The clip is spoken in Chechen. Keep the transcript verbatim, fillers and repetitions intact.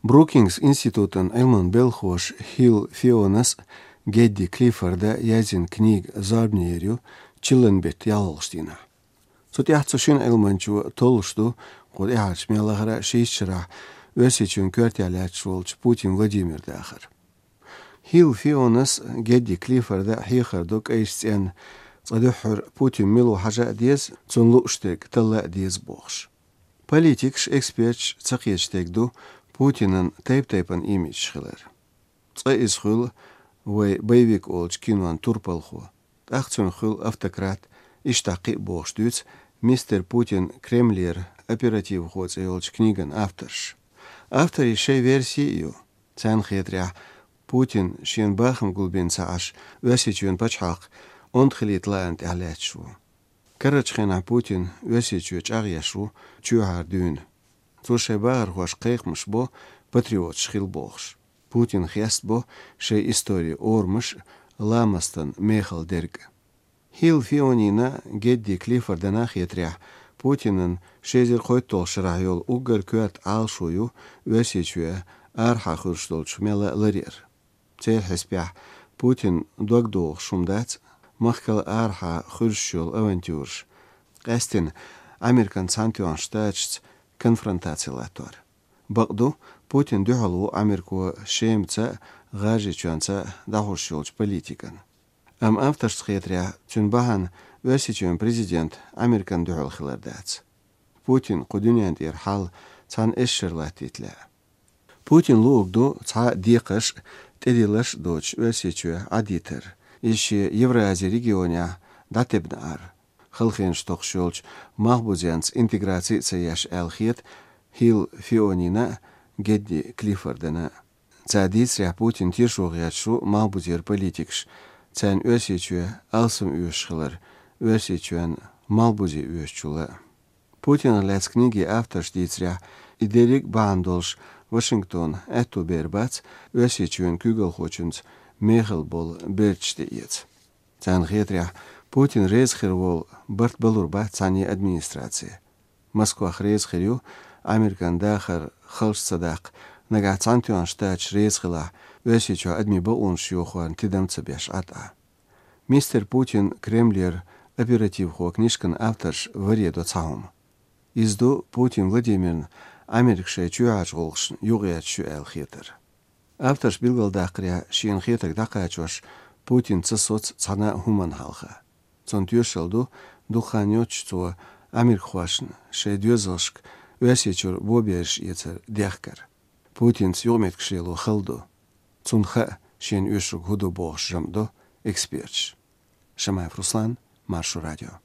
Брукингс институтан Ӏилман белхалоша Хилл Фионас а, Гедди Клиффорда а язйина книга зорбане йир ю чиллан бетта ялхалгӀача дийнахьа. Цу тӀехьа цу шина Ӏилманчо толлуш ду кху тӀаьхьарча мел лахара шийтта шарахь Оьрсийчоьнан коьртехь лаьтташ волчу Путин Владимиран дахар. Хилл Фионас а, Гедди Клиффорда а хьехар до кӀайчу цӀенна, цкъа дуьххьара Путин мила ву хьажа а деза, цунна лууш дерг талла а деза бохуш. Политикаш, эксперташ ца кхеташ дерг ду Путинан тайп-тайпана имиджаш хилар. Цкъа иза хуьлу вай «Боевик» олучу кинон турпалхо, тӀаккха цуьнан хуьлу автократ, иштта кхин а бохуш дуьйцу «Мистер Путин Кремлера оперативхо» цӀе йолчу книган авторш. Авторийн шайн верси а ю. Царна хетарехь, Путин шена бахам гулбина ца Ӏаш, Оьрсийчоьнан пачхьалкх онда хилийта лаана тӀехь лаьтташ ву. Карарчу хенахь Путин Оьрсийчоь чӀагӀъеш ву чоьхьара дуьйна. Цо шайн бахархошка кхайкхамаш бо патриоташ хила бохуш. Путин хестабо шайн историн орамаш а, ламастан мехала дерг а. Хилл Фионина а, Гедди Клиффордана а хетарехь, Путинан ши эзар кхойтталгӀачу шарахь йолу уггар коьрта Ӏалашо ю Оьрсийчоь арахьа хуьлуш долчух мелла а ларъяр. Церан хьесапехь, Путинан дог дохуш хӀума дац махкал арахьа хуьлуш йолу авантюраш, къаьсттина Американ Цхьаьнатоьхначу Штаташца конфронтаци латтор. Бакъду, Путин дуьхьал ву Америко Шемаца а, ГӀажарийчоьнца а дӀахьош йолчу политикана. Амма авторшна хетарехь, цуьнан бахьана Оьрсийчоьнан президент Американа дуьхьал хилар дац. Путинан кху дуьнен тӀера хьал цхьана эшшара латтийта лаьа. Путинна луург ду цхьа а декхарш а, тӀедилларш а доцуш Оьрсийчоь Ӏадитар, иза шен Евразия регионехь дӀатебна Ӏар, халахенаш токхуш йолчу малхбузенца интеграци а ца еш, аьлла хета Хилл Фионина а, Гедди Клиффордана а. Цара дийцарехь, Путин тешо гӀерташ ву малхбузера политикаш, царна Оьрсийчоь алсам оьшуш хилар, Оьрсийчоьнна малхбузе оьшучул а. Путинах лаьцна книгин авторша дийцарехь, и дерриг а бахьана долуш Вашингтонна аьтто бер бац Оьрсийчоьнан куьйгалхочуьнца мехала болу берташ тӀеэца. Царна хетарехь, Путин реза хир волу барт балур бац цхьанне а администраци. Москвах реза хир ю Американ дахар халш ца даккха, нагахь Цхьаьнатоьхна Штаташ реза хилахь, Оьрсийчохь адамийн бакъонаш йохорна тидам ца беш Ӏа тӀехь. «Мистер Путин Кремлера оперативхо» книжкан авторш варе до цхьа хӀума. Иза ду Путин Владимирна Америка шайн чоьхьарчу гӀуллакхашна юкъаэцаш ю аьлла хетар. Авторша билгалдаккхарехь, шена хетарг дӀакхачош, Путин ца соцу цхьана а хӀуманна хьалха. Цунна тоьшалла ду, дукха хан йоццуш цо америкахошна шайн доьзалшка Оьрсийчуьра бобераш эцар дехкар. Путинца юкъаметтигаш лело хала ду. Цунна хаьа, шена оьшург хӀун ду бохуш жамӀ до эксперташ. Шамаев Руслан, Маршо радио.